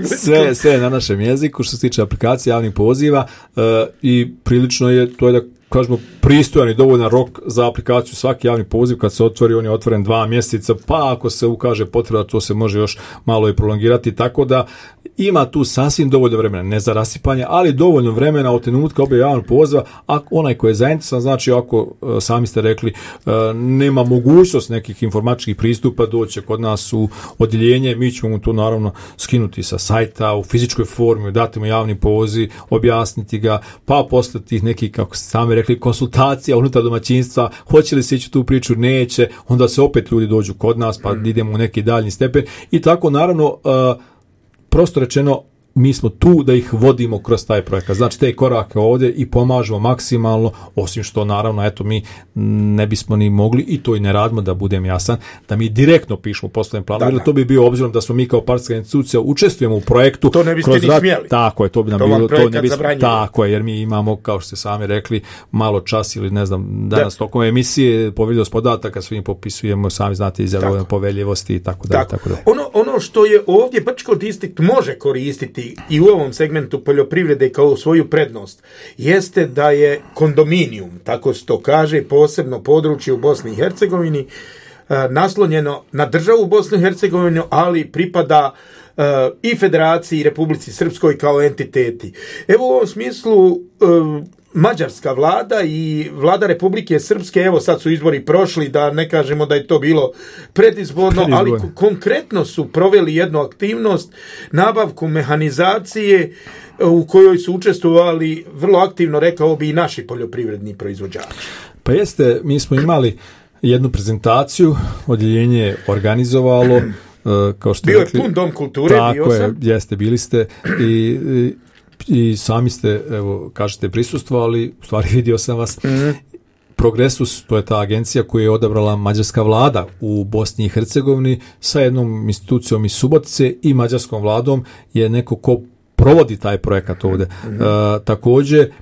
sve, sve na našem jeziku što se tiče aplikacije javnih poziva uh, i prilično je, to je da kažemo, pristojan i dovoljan rok za aplikaciju. Svaki javni poziv kad se otvori, on je otvoren dva mjeseca, pa ako se ukaže potreba, to se može još malo i prolongirati, tako da ima tu sasvim dovoljno vremena, ne za rasipanje, ali dovoljno vremena od trenutka objave javnog poziva, a onaj koji je zainteresovan, znači ako sami ste rekli nema mogućnost nekih informatičkih pristupa, doće kod nas u odjeljenje, mi ćemo mu to naravno skinuti sa sajta u fizičkoj formi, dati mu javni poziv, objasniti ga, pa posle tih nekih, kako ste sami rekli, konsultacija unutar domaćinstva, hoće li se ići tu priču, neće, onda se opet ljudi dođu kod nas, pa idemo u neki daljnji stepen i tako naravno uh, prosto rečeno mi smo tu da ih vodimo kroz taj projekat. Znači te korake ovdje i pomažemo maksimalno, osim što naravno eto mi ne bismo ni mogli i to i ne radimo, da budem jasan, da mi direktno pišemo poslovni plan. Da, da. To bi bio obzirom da smo mi kao partijska institucija učestvujemo u projektu. To ne biste ni rad... smjeli. Tako je, to bi nam to bilo, to ne bismo, tako je, jer mi imamo, kao što ste sami rekli, malo čas ili ne znam, danas da. tokom emisije poveljivost podataka, svi im popisujemo, sami znate, izjavljamo poveljivosti i tako dalje. Tako. Tako da. Ono, ono što je ovdje Brčko distrikt može koristiti istaknuti i u ovom segmentu poljoprivrede kao svoju prednost jeste da je kondominijum, tako se to kaže, posebno područje u Bosni i Hercegovini, naslonjeno na državu Bosnu i Hercegovinu, ali pripada uh, i Federaciji i Republici Srpskoj kao entiteti. Evo u ovom smislu uh, mađarska vlada i vlada Republike Srpske, evo sad su izbori prošli, da ne kažemo da je to bilo predizborno, ali k- konkretno su proveli jednu aktivnost, nabavku mehanizacije u kojoj su učestvovali vrlo aktivno, rekao bi, i naši poljoprivredni proizvođači. Pa jeste, mi smo imali jednu prezentaciju, odjeljenje je organizovalo, kao što bio rekli, je pun dom kulture, tako bio sam. Je, jeste, bili ste i, i, i sami ste, evo, kažete, prisustvovali, u stvari vidio sam vas. Mm-hmm. Progresus, to je ta agencija koju je odabrala mađarska vlada u Bosni i Hercegovini sa jednom institucijom iz Subotice i mađarskom vladom je neko ko provodi taj projekat ovdje. Mm-hmm. Uh, također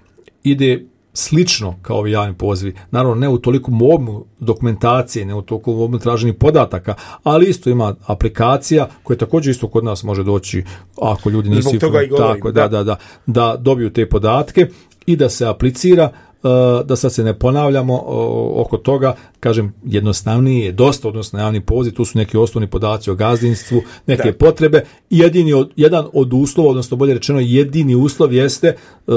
ide slično kao ovi javni pozivi. Naravno, ne u toliko obimu dokumentacije, ne u toliko obimu traženih podataka, ali isto ima aplikacija koja također isto kod nas može doći ako ljudi nisu tako da, da, da, da dobiju te podatke i da se aplicira, da sad se ne ponavljamo oko toga, kažem, jednostavniji je dosta odnosno na javni poziv, tu su neki osnovni podaci o gazdinstvu, neke da. potrebe. Jedini od, jedan od uslova, odnosno bolje rečeno jedini uslov jeste uh,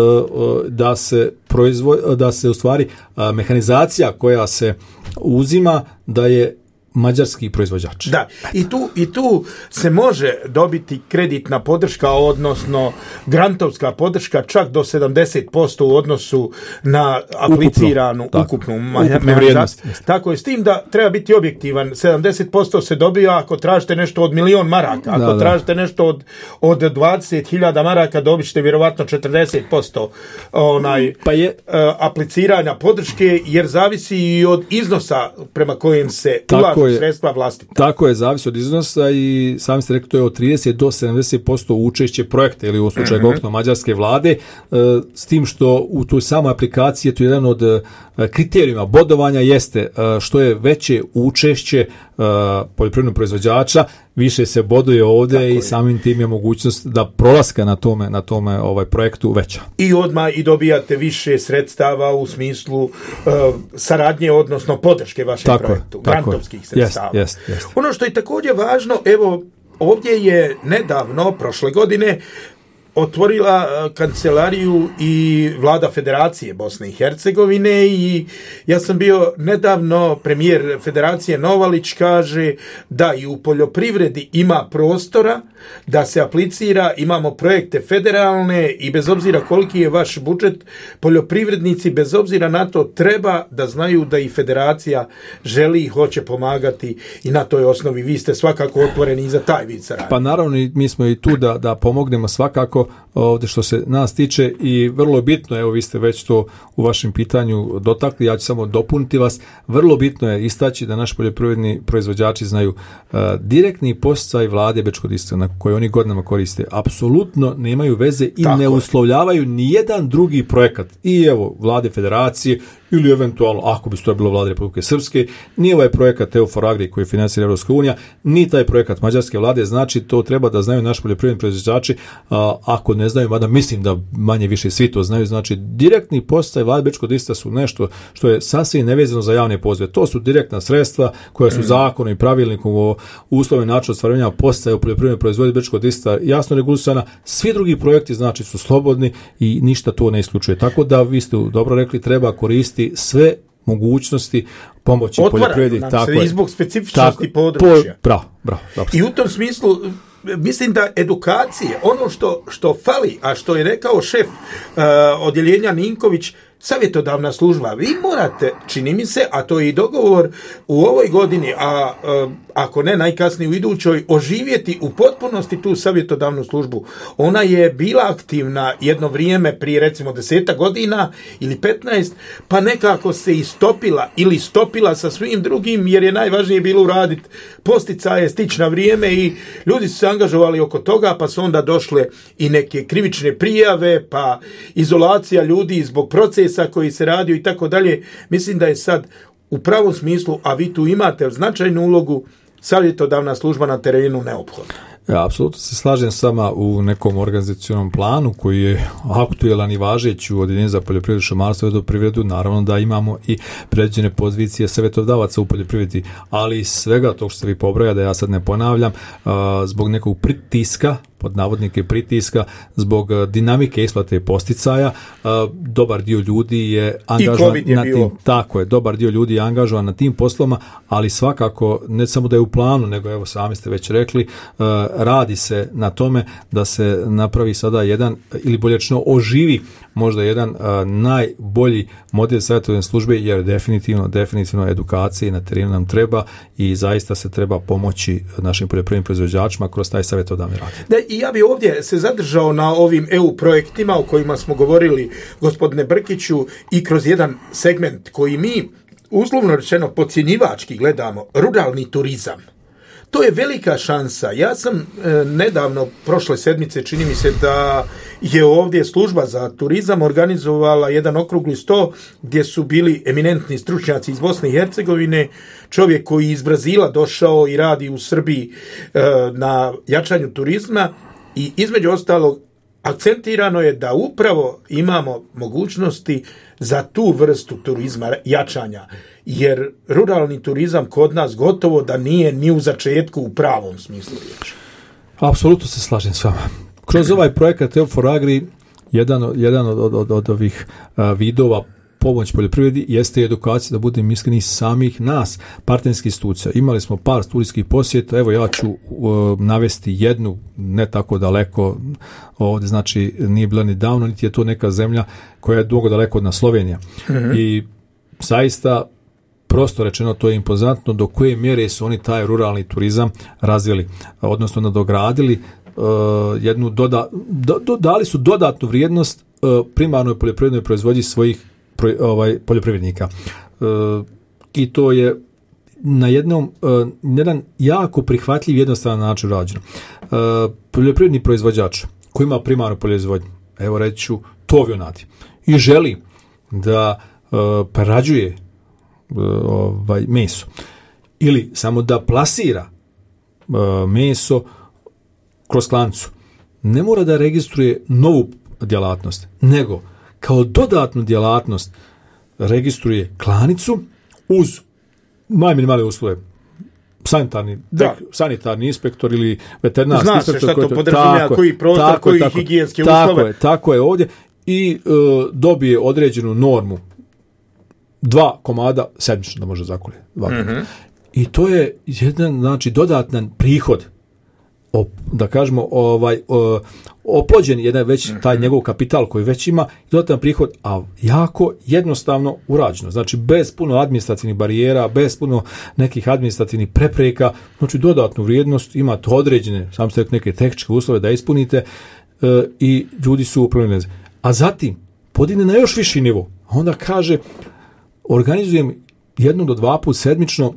da se proizvoj, da se u stvari uh, mehanizacija koja se uzima da je mađarski proizvođač. Da, i tu, i tu se može dobiti kreditna podrška, odnosno grantovska podrška čak do sedamdeset posto u odnosu na apliciranu ukupno, ukupnu mehanizaciju. Tako je, s tim da treba biti objektivan. sedamdeset posto se dobija ako tražite nešto od milion maraka. Ako da, tražite da. nešto od, od dvadeset hiljada maraka, dobit ćete vjerovatno četrdeset posto onaj, pa je, uh, apliciranja podrške, jer zavisi i od iznosa prema kojem se ulaže sredstva vlastita. Tako je, zavisi od iznosa i sami ste rekli to je od trideset do sedamdeset posto učešće projekta ili u slučaju mm-hmm. konkretno mađarske vlade, s tim što u toj samoj aplikaciji je to jedan od kriterijuma bodovanja jeste što je veće učešće poljoprivrednog proizvođača, više se boduje ovdje. Tako i je. Samim tim je mogućnost da prolaska na tome, na tome ovaj projektu veća. I odmah i dobijate više sredstava u smislu uh, saradnje, odnosno podrške vašem tako projektu, je, grantovskih sredstava. Jest, jest, jest. Ono što je također važno, evo, ovdje je nedavno, prošle godine, otvorila kancelariju i vlada Federacije Bosne i Hercegovine i ja sam bio nedavno, premijer Federacije Novalić kaže da i u poljoprivredi ima prostora da se aplicira, imamo projekte federalne i bez obzira koliki je vaš budžet, poljoprivrednici bez obzira na to treba da znaju da i Federacija želi i hoće pomagati i na toj osnovi vi ste svakako otvoreni i za taj vid saradnje. Pa naravno mi smo i tu da, da pomognemo svakako ovdje što se nas tiče i vrlo bitno, evo vi ste već to u vašem pitanju dotakli, ja ću samo dopuniti vas, vrlo bitno je istaći da naši poljoprivredni proizvođači znaju uh, direktni podsticaj vlade Bečkog-Distra na koje oni godinama koriste, apsolutno nemaju veze i tako ne uslovljavaju ni jedan drugi projekat i evo vlade Federacije ili eventualno, ako bi to bilo vlade Republike Srpske, ni ovaj projekat EUFOR Agri koji financira Europska unija, ni taj projekat mađarske vlade, znači to treba da znaju naši poljoprivredni proizvođači, a, ako ne znaju, mada mislim da manje više svi to znaju, znači direktni podsticaj vlade Bečkog-Distra su nešto što je sasvim nevezano za javne pozive. To su direktna sredstva koja su mm. zakonom i pravilnikom o uslovima načinu ostvarivanja podsticaja u poljoprivrednoj proizvodnji Bečkog-Distra jasno regulisana. Svi drugi projekti znači su slobodni i ništa to ne isključuje. Tako da vi ste dobro rekli, treba koristiti sve mogućnosti pomoći poljoprivredi. Tako je. I zbog specifičnosti tako, područja. Po, bravo, bravo, bravo. I u tom smislu mislim da edukacije, ono što, što fali, a što je rekao šef uh, odjeljenja Ninković, savjetodavna služba, vi morate, čini mi se, a to je i dogovor u ovoj godini, a uh, ako ne najkasnije u idućoj, oživjeti u potpunosti tu savjetodavnu službu. Ona je bila aktivna jedno vrijeme prije recimo deseta godina ili petnaest, pa nekako se istopila ili stopila sa svim drugim, jer je najvažnije bilo uraditi posticaje, stići na vrijeme i ljudi su se angažovali oko toga, pa su onda došle i neke krivične prijave, pa izolacija ljudi zbog procesa koji se radio i tako dalje. Mislim da je sad u pravom smislu, a vi tu imate značajnu ulogu, savjetodavna služba na terenu neophodna. Ja, apsolutno se slažem s vama u nekom organizacionom planu koji je aktuelan i važeći u Odeljenju za poljoprivredu, šumarstvo i vodoprivredu. Naravno da imamo i predviđene pozicije savjetodavaca u poljoprivredi, ali iz svega tog što ste vi pobrojali, da ja sad ne ponavljam, zbog nekog pritiska, pod navodnike pritiska, zbog dinamike isplate posticaja, dobar dio ljudi je angažovan je na tim, tako je, dobar dio ljudi je angažovan na tim poslovima, ali svakako ne samo da je u planu, nego evo sami ste već rekli, radi se na tome da se napravi sada jedan, ili bolje rečeno oživi možda jedan a, najbolji model savjetodavne službe, jer definitivno, definitivno edukacije na terenu nam treba i zaista se treba pomoći našim poljoprivrednim proizvođačima kroz taj savjetodavni rad. Da, i ja bih ovdje se zadržao na ovim E U projektima o kojima smo govorili, gospodine Brkiću, i kroz jedan segment koji mi, uslovno rečeno, podcjenjivački gledamo, ruralni turizam. To je velika šansa. Ja sam e, nedavno, prošle sedmice, čini mi se da je ovdje služba za turizam organizovala jedan okrugli sto gdje su bili eminentni stručnjaci iz Bosne i Hercegovine, čovjek koji iz Brazila došao i radi u Srbiji e, na jačanju turizma, i između ostalog akcentirano je da upravo imamo mogućnosti za tu vrstu turizma jačanja, jer ruralni turizam kod nas gotovo da nije ni u začetku u pravom smislu riječi. Apsolutno se slažem s vama. Kroz ovaj projekat E U for Agri, jedan, jedan od, od, od, od ovih a, vidova pomoć poljoprivredi jeste edukacija, da budem iskren, samih nas, partnerskih institucija. Imali smo par studijskih posjeta, evo ja ću uh, navesti jednu, ne tako daleko, ovdje znači nije bila ni davno, niti je to neka zemlja koja je dugo daleko od nas, Slovenija. Mm-hmm. I zaista, prosto rečeno, to je impozantno do koje mjere su oni taj ruralni turizam razvili, odnosno nadogradili uh, jednu doda, do, do, dali su dodatnu vrijednost uh, primarnoj poljoprivrednoj proizvodnji svojih ovaj poljoprivrednika. E, i to je na jednom e, jedan jako prihvatljiv, jednostavan način rađeno. E, poljoprivredni proizvođač koji ima primarnu proizvodnju, evo reći ću tovionati, i želi da e, prerađuje e, ovaj meso ili samo da plasira e, meso kroz klancu, ne mora da registruje novu djelatnost, nego kao dodatnu djelatnost registruje klanicu uz najminimalne uslove. Sanitarni, tek, sanitarni inspektor ili veterinarski Zna inspektor. Zna se šta to podrazumijeva, koji prostor, koji tako, higijenske tako uslove. Je, tako je ovdje. I e, dobije određenu normu. Dva komada sedmično da može zakolje. Mm-hmm. I to je jedan, znači, dodatan prihod. O, da kažemo, ovaj, o, oplođen jedan već taj njegov kapital koji već ima, dodatan prihod, a jako jednostavno urađeno. Znači, bez puno administrativnih barijera, bez puno nekih administrativnih prepreka, znači dodatnu vrijednost, imate određene, sam ste neke tehničke uslove da ispunite e, i ljudi su upravljeni. A zatim, podigne na još viši nivo. Onda kaže, organizujem jednom do dva put sedmično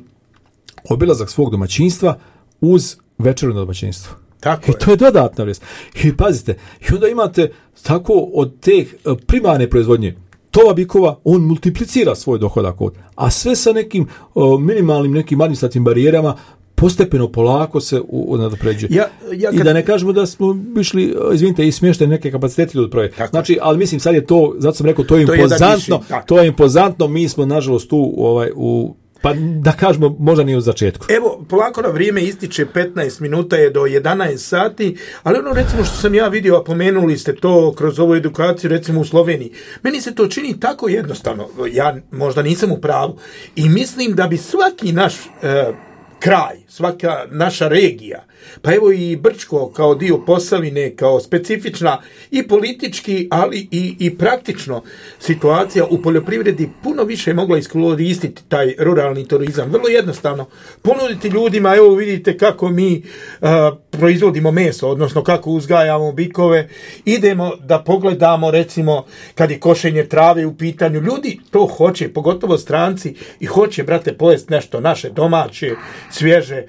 obilazak svog domaćinstva uz večeru na domaćinstvu. Tako I to je dodatna vrijednost. I pazite, i onda imate tako od te primarne proizvodnje tova bikova, on multiplicira svoj dohodak od, a sve sa nekim o, minimalnim nekim administrativnim barijerama postepeno, polako se nadopređuje. Ja, ja kad... I da ne kažemo da smo išli, izvinite, i smješteni neke kapacitete od projekta. Znači, ali mislim, sad je to, zato sam rekao, to je to impozantno, je to je impozantno, mi smo, nažalost, tu ovaj, u pa da kažemo, možda nije u začetku. Evo, polako na vrijeme ističe, petnaest minuta je do jedanaest sati, ali ono recimo što sam ja vidio, a pomenuli ste to kroz ovu edukaciju, recimo u Sloveniji, meni se to čini tako jednostavno, ja možda nisam u pravu, i mislim da bi svaki naš e, kraj, svaka naša regija, pa evo i Brčko kao dio Posavine, kao specifična i politički, ali i, i praktično situacija u poljoprivredi puno više je mogla iskoristiti taj ruralni turizam. Vrlo jednostavno ponuditi ljudima, evo vidite kako mi uh, proizvodimo meso, odnosno kako uzgajamo bikove, idemo da pogledamo recimo kad je košenje trave u pitanju, ljudi to hoće, pogotovo stranci, i hoće, brate, pojest nešto naše, domaće, svježe,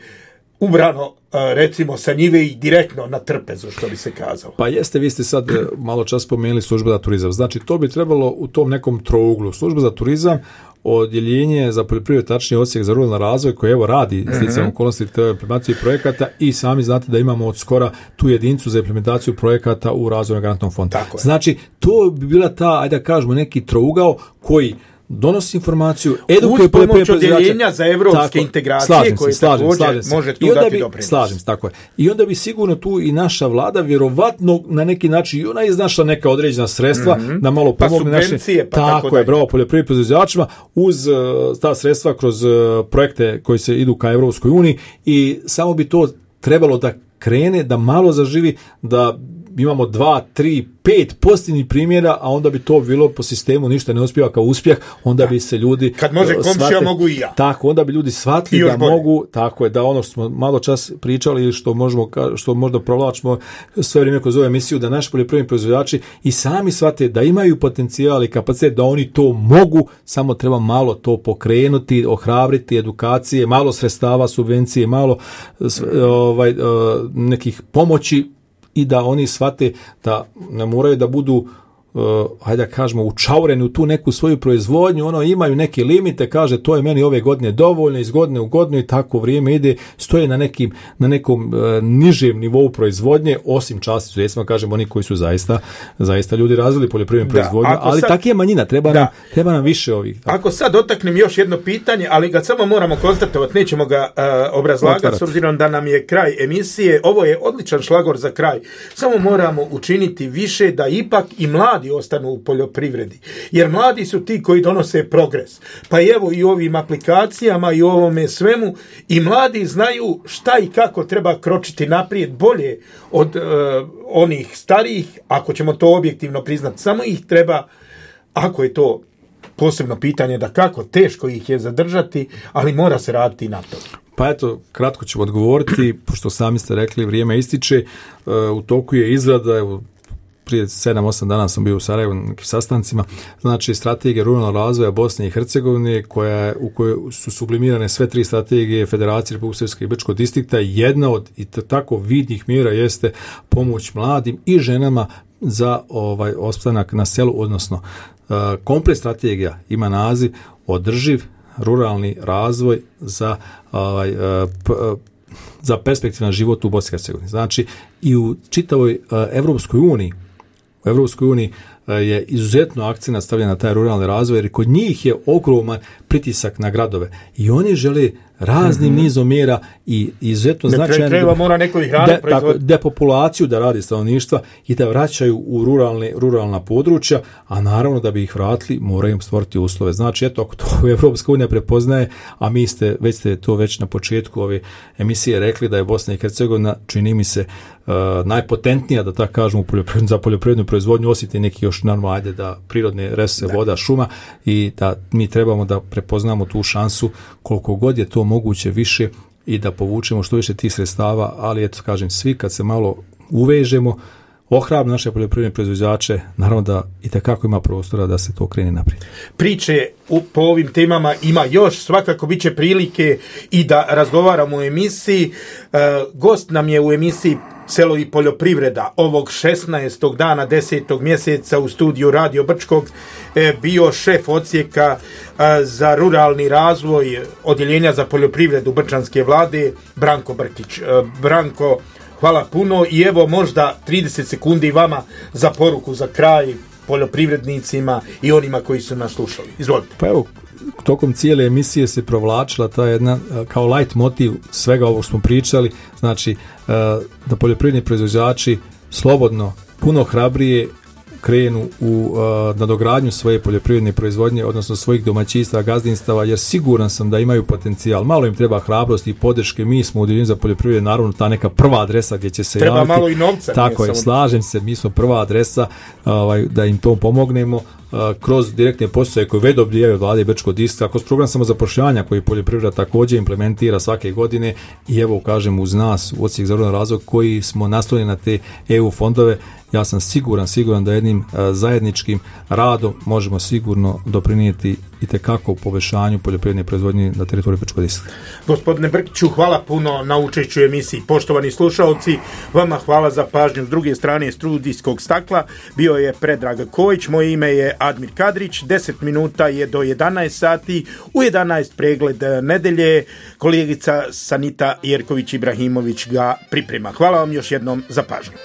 ubrano, recimo, sa njive i direktno na trpezu, što bi se kazalo. Pa jeste, vi ste sad malo čas spomenuli služba za turizam. Znači, to bi trebalo u tom nekom trouglu. Služba za turizam, odjeljenje za poljoprivredu, tačnije odsjek za ruralni razvoj koji evo radi sticajem mm-hmm. okolnosti te implementacije projekata i sami znate da imamo od skora tu jedinicu za implementaciju projekata u razvojnom garantnom fondu. Znači, to bi bila ta, ajde da kažemo, neki trougao koji donosi informaciju, edukuje uz pomoć odjeljenja za evropske integracije koje također može tu dati doprinos. Slažem se, tako je. I onda bi sigurno tu i naša vlada vjerovatno na neki način i ona iznašla neka određena sredstva mm-hmm. da malo pomogne pa subvencije, naše, pa tako, tako je, bravo, poljoprivrednim proizvođačima uz uh, ta sredstva kroz uh, projekte koji se idu ka Evropskoj uniji i samo bi to trebalo da krene, da malo zaživi, da imamo dva, tri, pet pozitivnih primjera, a onda bi to bilo po sistemu ništa ne uspijeva kao uspjeh, onda da. bi se ljudi kad može komšija mogu i ja. Tako, onda bi ljudi shvatili da bolje. mogu, tako je, da ono što smo malo čas pričali, što možemo, što možda provlačimo sve vrijeme kroz ovu emisiju, da naši poljoprivredni proizvođači i sami shvate da imaju potencijal i kapacitet, da oni to mogu, samo treba malo to pokrenuti, ohrabriti, edukacije, malo sredstava, subvencije, malo ovaj, nekih pomoći i da oni shvate da ne moraju da budu uh, hajde da kažemo učaureni u tu neku svoju proizvodnju, ono imaju neke limite, kaže to je meni ove godine dovoljno, iz godine u godinu i tako vrijeme ide, stoje na nekim na nekom uh, nižem nivou proizvodnje, osim časti sudjesima, kažemo oni koji su zaista zaista ljudi razvili poljoprivrednu proizvodnju, ali sad, tako je manjina, treba nam, treba nam više ovih. Tako. Ako sad dotaknem još jedno pitanje, ali ga samo moramo konstatovati, nećemo ga uh, obrazlagati Otvarati. S obzirom da nam je kraj emisije, ovo je odličan šlagor za kraj, samo moramo učiniti više da ipak i mladi ostanu u poljoprivredi. Jer mladi su ti koji donose progres. Pa evo i ovim aplikacijama i ovome svemu i mladi znaju šta i kako treba kročiti naprijed bolje od uh, onih starijih, ako ćemo to objektivno priznati. Samo ih treba, ako je to posebno pitanje da kako, teško ih je zadržati, ali mora se raditi na to. Pa eto, kratko ću odgovoriti, pošto sami ste rekli, vrijeme ističe, uh, u toku je izrada, evo, prije sedam osam dana sam bio u Sarajevu na nekim sastancima, znači strategija ruralnog razvoja Bosne i Hercegovine, koja, u kojoj su sublimirane sve tri strategije Federacije Republike Srpske i Brčkog distrikta. Jedna od i tako vidnih mjera jeste pomoć mladim i ženama za ovaj opstanak na selu, odnosno uh, komplet strategija ima naziv održiv ruralni razvoj za ovaj, uh, p, uh, za perspektivan život u Bosni i Hercegovini. Znači i u čitavoj uh, Evropskoj uniji u Evropskoj uniji je izuzetno akcenat stavljen na taj ruralni razvoj, jer kod njih je ogroman pritisak na gradove i oni žele raznim mm-hmm. nizom mjera i izuzetno značajno treba mora neko ih radi de, depopulaciju da radi stanovništva i da vraćaju u ruralne, ruralna područja, a naravno da bi ih vratili moraju im stvoriti uslove. Znači eto, ako to Evropska unija prepoznaje, a mi ste već ste to već na početku ove emisije rekli da je Bosna i Hercegovina, čini mi se, uh, najpotentnija, da tako kažemo, za poljoprivrednu proizvodnju, osim te neki još normalno, ajde da prirodne resurse, voda, šuma, i da mi trebamo da prepoznamo tu šansu koliko god je to moguće više i da povučemo što više tih sredstava, ali eto kažem, svi kad se malo uvežemo, ohrabri naše poljoprivredne proizvođače, naravno da i takako ima prostora da se to krene naprijed. Priče u, po ovim temama ima još, svakako bit će prilike i da razgovaramo u emisiji. E, gost nam je u emisiji Selo i poljoprivreda ovog šesnaestog dana desetog mjeseca u studiju Radio Brčkog e, bio šef odsjeka e, za ruralni razvoj odjeljenja za poljoprivredu Brčanske vlade Branko Brkić. E, Branko, hvala puno i evo možda trideset sekundi vama za poruku za kraj poljoprivrednicima i onima koji su nas slušali. Izvolite. Pa evo, tokom cijele emisije se provlačila ta jedna kao light motiv svega ovog smo pričali, znači da poljoprivredni proizvođači slobodno, puno hrabrije krenu u uh, nadogradnju svoje poljoprivredne proizvodnje, odnosno svojih domaćinstva, gazdinstava, jer siguran sam da imaju potencijal. Malo im treba hrabrosti i podrške. Mi smo u Udruženju za poljoprivredu, naravno, ta neka prva adresa gdje će se treba javiti. Malo i novca. Tako je, slažem se, mi smo prva adresa ovaj, da im to pomognemo uh, kroz direktne poticaje koje već dobijaju od vlade Brčkog distrikta, kroz program samozapošljavanja koji poljoprivreda također implementira svake godine i evo, kažem, uz nas u odsjek za ruralni razvoj koji smo naslonjeni na te E U fondove Ja sam siguran, siguran da jednim zajedničkim radom možemo sigurno doprinijeti itekako u poboljšanju poljoprivredne proizvodnje na teritoriju Brčko-Distriktne. Gospodine Brkiću, hvala puno na učešću u emisiji. Poštovani slušalci, vama hvala za pažnju. S druge strane studijskog stakla bio je Predrag Kojić, moje ime je Admir Kadrić. deset minuta je do jedanaest sati. U jedanaest pregled nedelje. Kolegica Sanita Jerković Ibrahimović ga priprema. Hvala vam još jednom za pažnju.